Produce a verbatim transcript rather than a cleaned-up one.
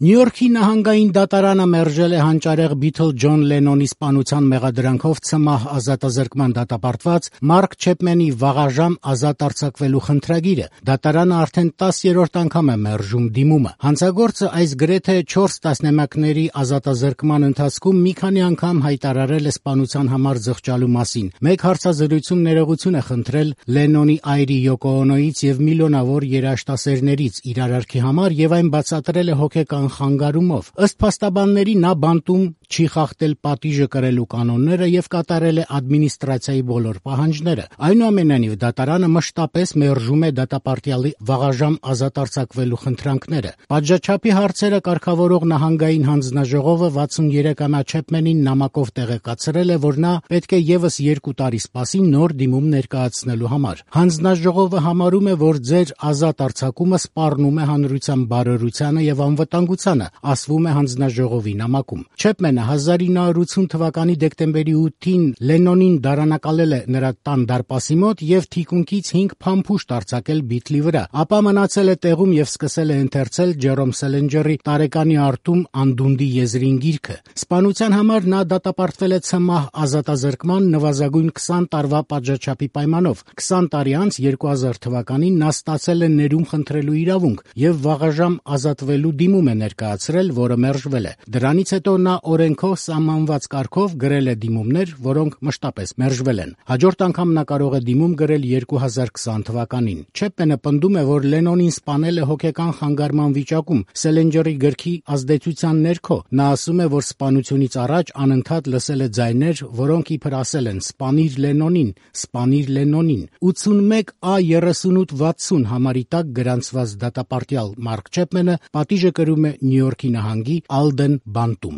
Նյու Յորքի նահանգային դատարանը մերժել է հանճարեղ Բիթլ Ջոն Լենոնի սպանության մեղադրանքով ցմահ ազատազրկման դատապարտված Մարկ Չեփմենի վաղաժամ ազատ արձակվելու խնդրագիրը։ Դատարանը արդեն տասերորդ անգամ է մերժում դիմումը։ Հանցագործը այս գրեթե չորս տասնամյակների ազատազրկման ընթացքում մի քանի անգամ հայտարարել է սպանության համար զղջալու մասին։ Մեկ հարցազրույցում ներողություն է խնդրել Լենոնի այրի Յոկո Օնոյից եւ միլիոնավոր երաժշտասերներից իր արարքի համար եւ այն բացատրել է հոգեկան խանգարումով։ Ըստ փաստաբանների նա բանտում չի խախտել պատիժը կրելու կանոնները եւ կատարել է ադմինիստրացիայի բոլոր պահանջները։ Այնուամենայնիվ դատարանը մշտապես մերժում է դատապարտյալի վաղաժամ ազատ արձակվելու խնդրանքները։ Պատժաչափի հարցերը կարգավորող նահանգային հանձնաժողովը վաթսուներեքամյա Չեփմենին նամակով տեղեկացրել է, որ նա պետք է եւս երկու տարի սպասի նոր դիմում ներկայացնելու համար։ Հանձնաժողովը համարում է, որ ձեր ազատ արձակումը սպառնում է հանրության բարօրությանը եւ անվտանգությանը, ասվում է հանձնաժողովի նամակում։ Չեփմենը հազար ինը հարյուր ութ թվականի դեկտեմբերի ութին Լենոնին դարանակալել է նրա տան դարպասի մոտ եւ թիկունքից հինգ փամփուշտ արձակել Բիթլի վրա, ապա մնացել է տեղում եւ սկսել է ընթերցել Ջերոմ Սելենջերի տարեկանի արդում անդունդի եզրին գիրքը։ Սպանության համար նա դատապարտվել է ցմահ ազատազրկման նվազագույն քսան տարվա պատժաչափի պայմանով։ քսան տարի անց երկու հազար թվականին նա ստացել է ներում խնդրելու իրավունք եւ վաղաժամ ազատվելու դիմում է ներկայացրել, որը մերժվել է։ Դրանից հետո նա օրենքով սահմանված կարգով գրել է դիմումներ, որոնք մշտապես մերժվել են։ Հաջորդ անգամ նա կարող է դիմում գրել երկու հազար քսան թվականին։ Չեփմենը պնդում է, որ Լենոնին սպանել է հոգեկան խանգարման վիճակում Սելենջերի գրքի ազդեցության ներքո։ Նա ասում է, որ սպանությունից առաջ անընդհատ լսել է ձայներ, որոնք իբր ասել են «Սպանիր Լենոնին, սպանիր Լենոնին»։ ութսունմեկ Ա երեսունութ վաթսուն համարի տակ գրանցված դատապարտյալ Մարկ Չեփմենը պատիժը կրում է Նյու Յորքի նահանգի Ալդեն բանտում։